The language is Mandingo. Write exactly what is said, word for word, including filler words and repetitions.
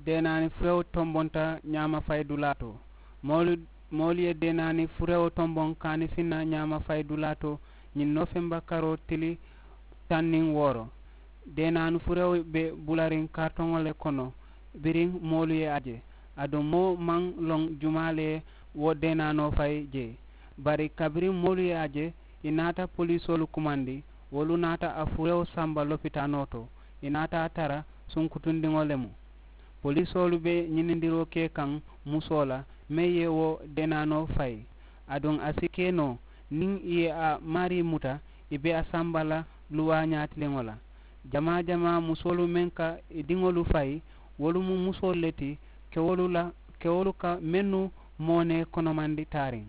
Deenaani furewo tombonta ñaama fayidulaa to. Moolu moolu ye deenaani furewo tomboŋ kaani finna ñaama fayidulaa to ñiŋ noofemba karoo tili taŋ niŋ wooro. Deenaani furewo be bulariŋ karitoŋo le kono biriŋ moolu ye a je. Aduŋ moo maŋ loŋ jumaa le ye wo deenaanoo fayi jee. Bari kabiriŋ moolu ye a je, ì naata poliisoolu kumandi. Wolu naata a furewo samba lopitaanoo to. Ì naata a tara sunkutundiŋo le mu. Poliisoolu be ñinindiroo ke kaŋ musoo la meŋ ye wo deenaanoo fayi. Aduŋ a si ke noo niŋ ì ye a maarii muta, ì be a samba la luwaa ñaatiliŋo la. Jamaa jamaa musoolu meŋ ka ì diŋolu fayi, wolu mu musoolu le ti kewolu la kewolu ka mennu moonee konomandi taariŋ.